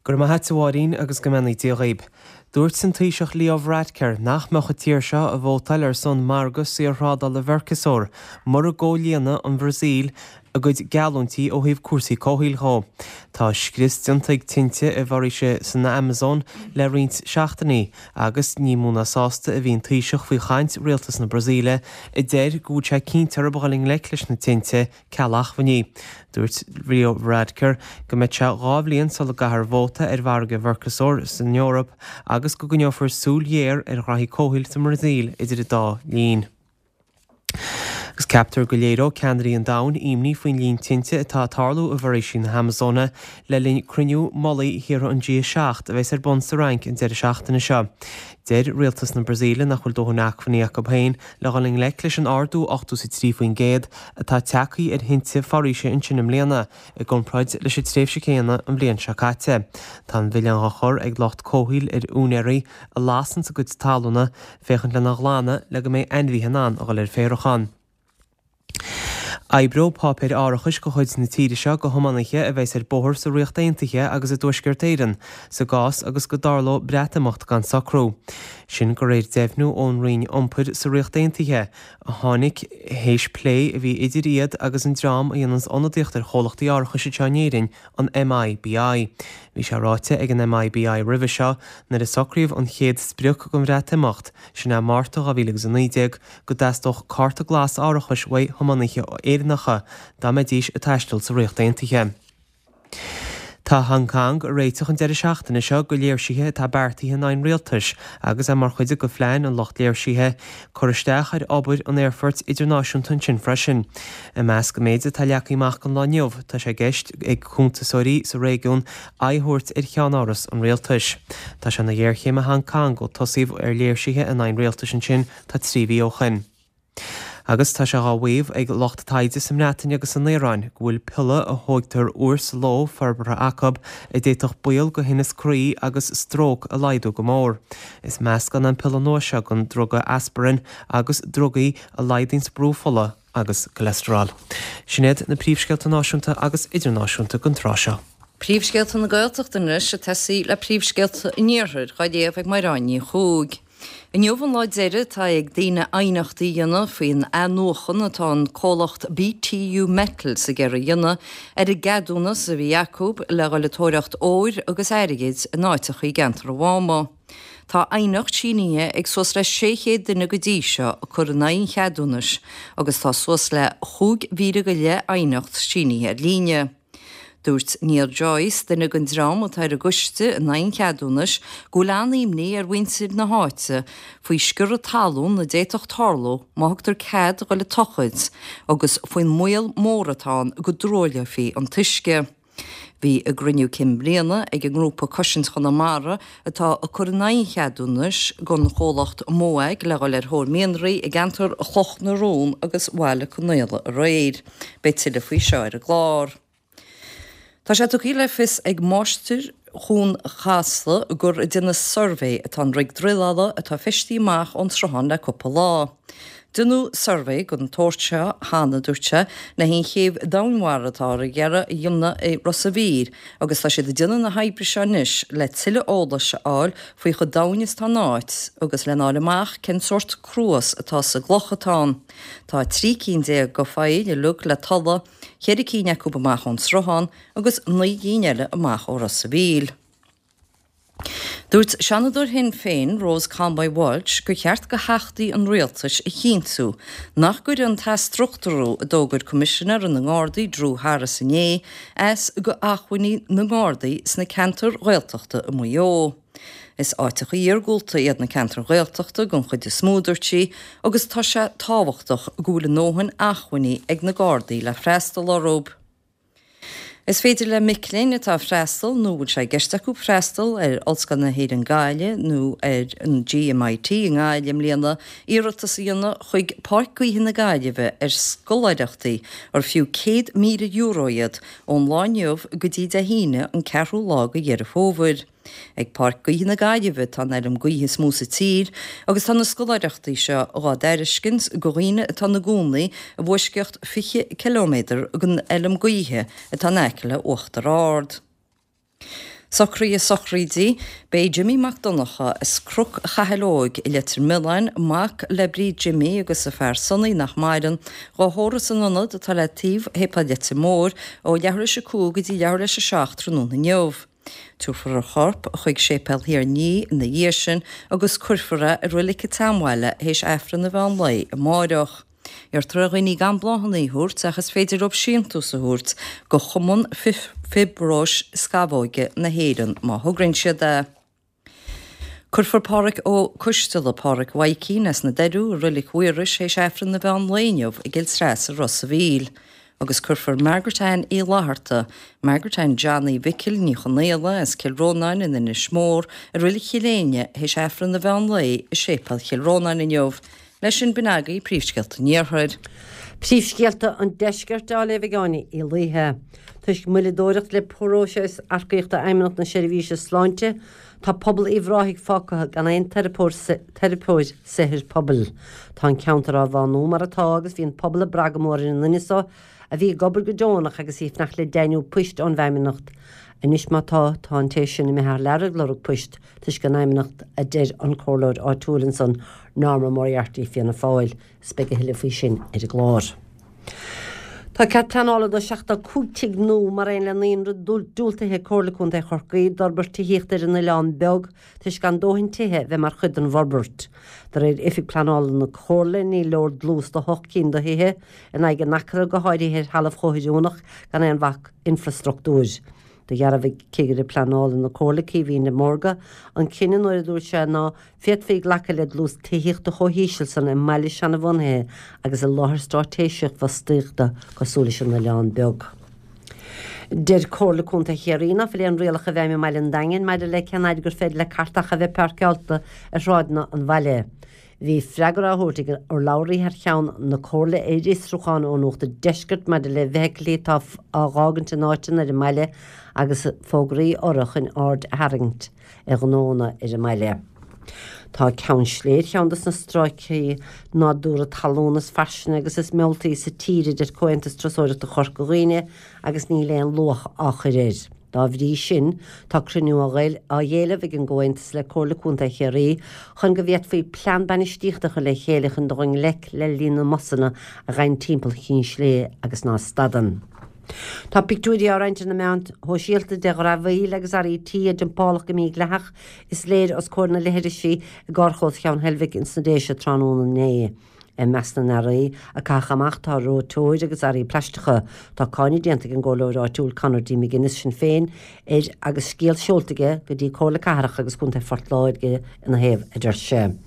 Go raibh maith a't a Mháirín agus go mbeannaí Dia dhaoib. Dúirt an Taoiseach Leo Varadkar nach mbeadh an tír seo ag vótáil ar son margadh saorthrádála Mhercosur mura gcomhlíonadh an Bhrasaíl a gcuid geallúintí ó thaobh cúrsaí comhshaoil dhó. Tá scrios déanta ag tinte i bhforaoisí san Amazon le roinnt seachtainí agus ní mó ná sásta a bhí an Taoiseach faoi chaint rialtas na Brasaíle a deir go bhfuil sé cinnte orthu a dhul i ngleic leis na tinte ceal acmhainní. Dúirt Leo Varadkar go mbeidh sé 2 bhliain sula gcaithfear vóta ar mhargadh Mhercosur san Eoraip agus go gcoinneofar súil ghéar ar ghraithí comhshaoil sa mBrasaíl idir an dá linn. Agus ceaptar go léireoidh ceannairí an domhain imní faoin líon tinte atá ag tarlú i bhforaoisí na hAmazóine le linn cruinniú mullaigh thíortha an G7 a bheas ar bun sa Fhrainc an deireadh seachtaine seo. Deir rialtas na Brasaíle nach bhfuil dóthain acmhainní acu féin le dhul i ngleic leis an ardú 83% atá tagtha ar thinte foraoise ansin i mbliana, i gcomparáid leis an tréimhse chéanna an bhliain seo caite. Tá an mhilleán á chur ag lucht comhshaoil ar úinéirí a lasanns a gcuid talúna féachaint lena ghlanadh le go mbeidh ainmhithe in ann a dhul ar féarach ann. Oibreoidh páipéir árachais de chuid na tíre seo do thiománaithe a bheas ar bóthar sa Ríocht Aontaithe agus i dTuaisceart Éireann sa gcás agus go dtarlódh Breatimeacht gan socrú. Sin de réir deimhniú ón Roinn Iompair sa Ríocht Aontaithe, a tháinig théis plé a bhí idir iad agus an dream a dhéananns ionadaíocht ar chomhlachtaí árachais anseo in Éirinn, an MIBI. Bhí sé ráite ag an MIBI roimhe seo, nuair a socraíodh an chéad sprioc don Bhreatimeacht, sin é Márta 2019, go dteastódh cárta glas árachais uaidh thiománaithe Éireannacha dá mbeidís ag taisteal sa Ríocht Aontaithe. Tá Hong Cong ag réiteach an deireadh seachtaine seo do léirsithe atá beartaithe in aghaidh an rialtais agus é mar chuid de phlean an lucht léirsithe cur isteach ar obair an aerfoirt idirnáisiúnta ansin freisin. I measc an méid atá leagtha amach don lá inniu, tá sé i gceist ag cuntasóirí sa réigiún aghaidh a thabhairt ar cheannáras an rialtais. Tá sé ina ghéarchéim i Hong Cong ó tosaíodh ar léirsithe in aghaidh an rialtais ansin tá 3 mhí ó shin. Agus tá sé dhá mhaíomh ag lucht taighde sa mBreatain agus san Iaráin go bhfuil piolla a thógtar uair sa ló forbartha acu a d'fhéadfadh baol go thinneas croí agus stróc a laghdú go mór. Is meascán é an piolla nua seo den druga aspirin agus drugaí a laghdaíonns brú fola agus cholesterol. Sin iad na príomhscéalta náisiúnta agus idirnáisiúnta don tráth seo. Príomhscéalta na Gaeltachta anois ag tosaí le príomhscéalta an Iarthair, dhá léamh ag Mairéad Ní Chuaig. Inniu an lá deiridh atá ag daoine aighneachtaí a dhéanamh faoin athnuachan atá an comhlacht BTU Metals ag iarraidh a dhéanamh ar an gceadúnas a bhí acu le dhul ag tóraíocht óir agus airgid in áiteacha i gceantar an Mháma. Tá aighneacht sínithe ag suas le 600 duine go dtí seo ag cur in aghaidh an cheadúnais agus tá suas le 15,000 go leith aighneacht sínithe ar líne. Dúirt Niall Joyce, duine den dream atá ar an gcoiste in aghaidh an cheadúnais, go bhfuil an-imní ar mhuintir na háite faoi sciorradh talún a d'fhéadfadh tarlú má thugtar cead a dhul ag tochailt agus faoin mbaol mór atá ann go dtruailleofaí an t-uisce. Bhí a gcruinniú cinn bliana ag an ngrúpa Cosaint Chonamara atá ag cur in aghaidh an cheadúnais don chomhlacht Mowag le dhul ar thóir mianraí i gceantar Chloch na Rón agus Bhaile Conaola aréir. Beidh tuilleadh faoi seo ar an gclár. Tá sé tugtha le fios ag máistir Chuan Chasla gur ag déanamh suirbhé atá an rig druileála atá feistithe amach ón sruthán le cúpla lá. Deineadh suirbhé den tsórt seo cheana, a dúirt sé, le haghaidh an chéibh domhainmhara atáthar ag iarraidh a dhéanamh i Ros a' Mhíl agus tá siad ag déanamh na hoibre seo anois le tuilleadh eolais a fháil faoi chomh domhain is atá an áit agus lena fháil amach cén sórt cruas atá sa gcloch atá ann. Tá 13 cinn de phoill uilig le tolladh, cheithre cinn acu amach ón sruthán agus 9 gcinn eile amach ó Ros a' Mhíl. Dúirt Seanadóir Shinn Féin, Rose Conway Walsh, gur cheart do theachtaí an rialtais a chinntiú nach gcuirfidh an t-athstruchtúrú a d'fhógair Coimisinéir na nGardaí Drew Harris inné as do acmhainní na nGardaí sna ceantair Ghaeltachta i Maigh Eo. Is áiteacha iargúlta iad na ceantair Ghaeltachta den chuid is mó, a dúirt sí, agus tá sé tábhachtach go bhfuil a ndóthain acmhainní ag na Gardaí le freastal orthu. Is féidir le mic léinn atá ag freastal nó a bhfuil sé i gceist acu freastal ar Ollscoil na hÉireann Gaillimh nó ar an GMIT i nGaillimh i mbliana iarratas a dhéanamh chuig Páirc Gaoithe na Gaillimhe ar scoláireachtaí ar fiú €100,000 iad ón lá inniu go dtí Dé hAoine an 4ú lá de Dheireadh Fómhair. Ag Páirc Gaoithe na Gaillimhe atá an fheirm gaoithe is mó sa tír agus tá na scoláireachtaí seo dhá dtairiscint do dhaoine atá ina gcónaí i bhfoisceacht 20 ciliméadar den fheilm gaoithe atá in aice le Uachtar Ard. Socruithe sochraide, B'é Jimmy Mac Donncha as Cnoc Chathail Óig i Leitir Mealláin, mac le Bríd Jimmy agus a fear Sonny nach maireann, dhá thórramh san ionad atá le taobh Shéipéal Leitir Móir ó leathuair théis a 5 go dtí leathuair théis a 7 tráthnóna inniu. Tabharfar a chorp chuig Séipéal Thír an Fhia ina dhiaidh sin agus cuirfear é i roilig an tSeanbhaile théis Aifreann an mheán lae amáireach. Iarrtar ar dhaoine gan bláthanna a thabhairt ach is féidir leo síntiús a thabhairt go Chumann Fiobróis Scamhóige na hÉireann má thograíonn siad é. Cuirfear Pádhraic Ó Coisteala, Pádhraic Mhaidhcín, as na Doiriú i Roilig Mhaorais théis Aifreann an mheán lae inniu i gCill Treasa Ros a' Mhíl agus cuirfear Margaret Ann Uí Fhlatharta, Margaret Ann Johnny Mhicil Ní Chonaola as Cill Rónáin in Inis Mór i Roilig Chill Éinne théis Aifreann an mheán lae i Séipéal Chill Rónáin inniu. Leis sin, b'in agaibh príomhscéalta an Iarthair. Príomhscéalta an Deiscirt á léamh ag Áine Uí Laoithe. Toisc moilleadóireacht le próiseas earcaíochta Fheidhmeannacht na Seirbhíse Sláinte, tá pobal Uíbh Ráthaigh fágtha gan aon teiripeoir saothair pobail. Tá an ceantar á bhánú mar atá agus bhí an pobal ag brath go mór ar an nduine so a bhí ag obair go deonach agus í ag fanacht le deimhniú poist ón bhFeidhmeannacht. Anois má tá, tá an té sin imithe thar lear ag lorg poist. toisc an Fheidhmeannacht a deir an comhairleoir áitiúil ansan, Norma Moriarty, Fianna Fáil, is beidh a thuilleadh faoi sin ar an gclár. Tá cead pleanála do 75 tigh nua mar aon le naíonra diúltaithe ag Comhairle Contae Chorcaí d'fhorbairt tithíochta ar an Oileán Beag toisc gan dóthain tithe bheith mar chuid den bhforbairt. De réir Oifig Pleanála na Comhairle ní leor dlús do hocht cinn de thithe in aghaidh an acra go háirithe ar thalamh chomh hoiriúnach gan aon bhac infreastruchtúir. Do dhearbhaigh Cigire Pleanála na Comhairle, Caoimhín de Mórdha, an cinneadh nuair a dúirt sé ná féadfaí glacadh le dlús tithíochta chomh híseal san i mbaile seanabhunaithe agus i láthair straitéiseach fostaíochta cosúil leis an Oileán Beag. Deir Comhairle Contae Chiarraí ná fuil aon rialacha i bhfeidhm i mbaile an Daingin maidir le cén fhaid gur féidir le cairteacha a bheith páirceálta ar shráideanna an bhaile. Bhí freagra á thabhairt ag urlabhraí thar cheann na Comhairle ar fhiosrúchán ó Nuacht an Deiscirt maidir le feithiclí atá á dh'fhágaint in áiteanna ar an mbaile agus fógraí orthu chun aird a tharraingt ar ghnónna ar an mbaile. Tá Ceann Sléibhe ar cheann dos na stráicí nádúrtha talún is fairsinge agus is mealltaí sa tír a deir Comhaontas Turasóireachta Chorca Dhuibhne agus níl aon luach á chur air. Dá bhrí sin, tá cruinniú á éileamh ag an gComhaontas le Comhairle Contae Chiarraí chun go bhféadfaí plean bainistíochta a chur le chéile chun dul i ngleic le líon na mbusanna a ghabhann timpeall Chinn Sléibhe agus ná stadann. Tá pictiúirí á roinnt ar na meáin shóisialta de dhramhaíl agus earraí tí a dumpáladh go mídhleathach, is léir, os comhair na leithrisí i gcarrchlós Cheann Heilbhic ins na Déise tráthnóna inné. I measc na n-earraí a caitheadh amach tá reoiteoir agus earraí plaisteacha. Tá cáineadh déanta ag an gcomhairleoir áitiúil Conor D. McGuinness, Sinn Féin, air agus scéal seolta aige go dtí Comhairle Cathrach agus Contae Phort Láirge ina thaobh, a deir sé.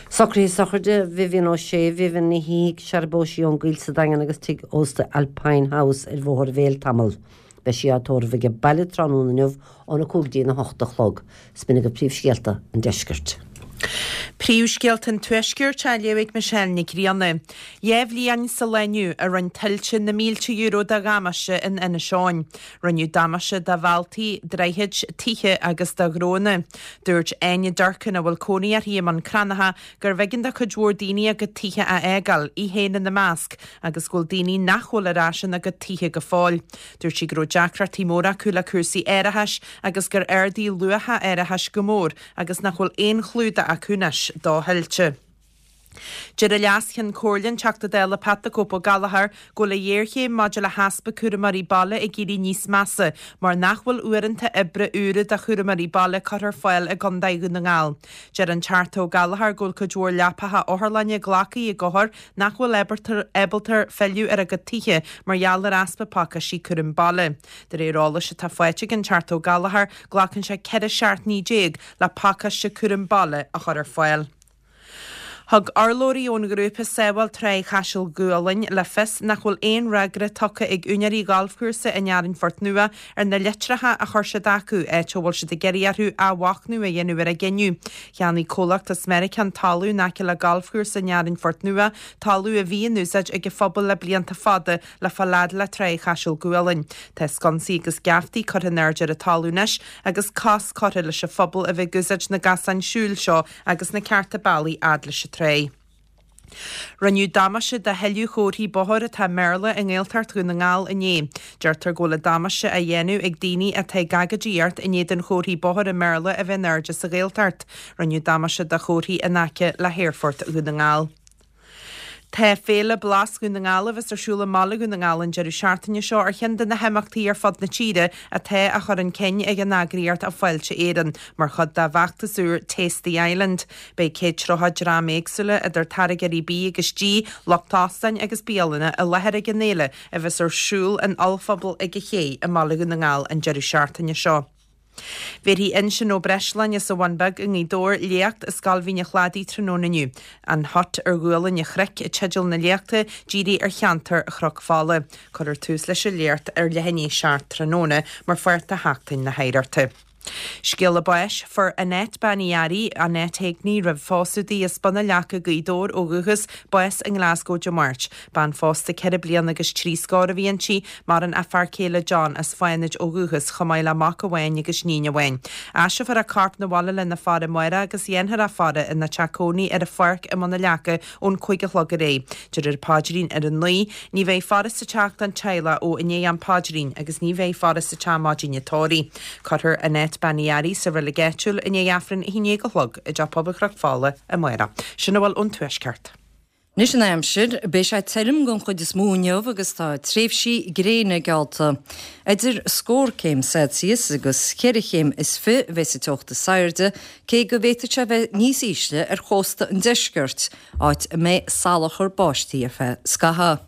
Socruithe sochraide Vivian O'Shea, Vivian Ní Shíthigh, searbóis í ón gCoill sa Daingean agus tigh ósta Alpine House ar Bhóthar an Bhéil tamall. Beidh sí á tórramh age baile tráthnóna inniu óna 5 go dtí na 8 a chlog. 'S b'in agaibh príomhscéalta an deiscirt. Príomhscéalta an Tuaiscirt á léamh ag Michelle Nic Grianna. Dá bhliain sa lá inniu a rinne tuilte na mílte euro de dhamáiste in Inis Eoghain. Rinneadh damáiste do bhealtaí, droichid, tithe agus do ghnónna. Dúirt Áine Durkin, a bhfuil cónaí uirthi i mBun Cranncha, gurbh éigean do chuid mhór daoine a gcuid tithe a fhágáil, í féin ina measc, agus go bhfuil daoine nach bhfuil ar ais ina gcuid tithe go fóill. Dúirt sí go raibh deacrachtaí móra acu le cúrsaí árachais agus gur ardaigh luach an árachais go mór agus nach bhfuil aon chlúdach acu anois do thuilte. Deir an Leas-Cheann Comhairle, an Teachta Dála Pat 'The Cope' Ó Gallchóir, go bhfuil an ghéarchéim maidir le heaspa cúramóirí baile ag éirí níos measa mar nach bhfuil uaireanta oibre úra do chúramóirí baile curtha ar fáil i gContae Dhún na nGall. Deir an Teachta Ó Gallchóir go bhfuil cuid mhór leapacha otharlainne glactha ag othair nach bhfuil ábalta filleadh ar a gcuid tithe mar gheall ar easpa pacáistí cúram baile. De réir eolais atá faighte ag an Teachta Ó Gallchóir, glacann sé 14 seachtainí le pacáiste cúram baile a chur ar fáil. Thug urlabhraí ón ghrúpa Sábháil Tráigh Chaiseal Gualainn le fios nach bhfuil aon fhreagra tugtha ag úinéirí ghalfchúrsa an Fhearainn Phort Nua ar na litreacha a chuir siad acu, áit a bhfuil siad ag iarraidh orthu athmhachnamh a dhéanamh ar a gcinneadh. Cheannaigh comhlacht as Meiriceá an talamh in aice le galfchúrsa an Fhearainn Phort Nua, talamh a bhí in úsáid ag an phobal le blianta fada le fáil fhad le Tráigh Chaiseal Gualainn. Tá sconsaí agus geaftaí curtha in airde ar an talamh anois agus cosc curtha leis an phobal a bheith ag úsáid na gcosán siúil seo agus na cearta bealaigh fhad leis an tráigh. Rinneadh damáiste do thuilleadh chomharthaí bóthair atá i mBéarla i nGaeltacht Dhún na nGall inné. Deirtear go bhfuil an damáiste á dhéanamh ag daoine atá ag agóidíocht in éadan chomharthaí bóthair i mBéarla a bheith in airde sa Ghaeltacht. Rinneadh damáiste do chomharthaí in aice le hAerfort Dhún na nGall. Tá Féile Blas Dhún na nGall a bheas ar siúl i mbaile Dhún na nGall an deireadh seachtaine seo ar cheann de na himeachtaí ar fud na tíre atá á chur chun cinn ag an eagraíocht Fáilte Éireann mar chuid dá bhfeachtas úr Taste the Island. Beidh 130 dream éagsúla, idir táirgeoirí bídh agus dí, lucht óstáin agus bialanna, i láthair ag an fhéile a bheas ar siúl in ollphuball ag an Ché i mbaile Dhún na nGall an deireadh seachtaine seo. Bhéarfaidh Uinseann Ó Breisleáin as an Bhun Beag i nGaoth Dobhair léacht i Scoil Mhín an Chladaigh tráthnóna inniu. An Hut ar Ghualainn an Chnoic teideal na léachta, dírithe ar cheantar Chnoc Fola. Cuirfear tús leis an léacht ar leath i ndiaidh a 7 tráthnóna mar pháirt de Sheachtain na hOidhreachta. Scéala báis, Fuair Annette Bean Uí Fhearraigh, Annette Heagney roimh phósadh di, as Bun an Leaca, Gaoth Dobhair ó dhúchas, bás i nGlasgow Dé Máirt. Bean phósta ceithre bliana agus trí scór a bhí inti. Maireann a fear céile John as Fánaid ó dhúchas, chomh maith le mac amháin agus níon amháin. Aistreofar a corp 'na bhaile lena faire amárach agus dhéanfar a faire ina teach cónaí ar an pháirc i mBun an Leaca ón 5 a chlog ar aghaidh. Déarfar paidrín ar a 9. Ní bheidh faire sa teach don teaghlach ó i ndiaidh an phaidrín agus ní bheidh faire sa teach maidin an tórraimh. Cuirfear Annette Bean Uí Fhearraigh sa reilig áitiúil i ndiaidh Aifreann 11 a chlog i dTeach Pobail Chnoc Fola amárach. Sin a bhfuil ón Tuaisceart. Anois an aimsir, beidh sé tirim den chuid is mó inniu agus tá tréimhsí gréine geallta. Idir scór céim Celsius agus cheithre chéim is fi a bheidh sa teocht is airde, cé go bhféadfadh sé bheith níos ísle ar chósta an deiscirt, áit a mbeidh salachar báistí ar feadh scaithimh.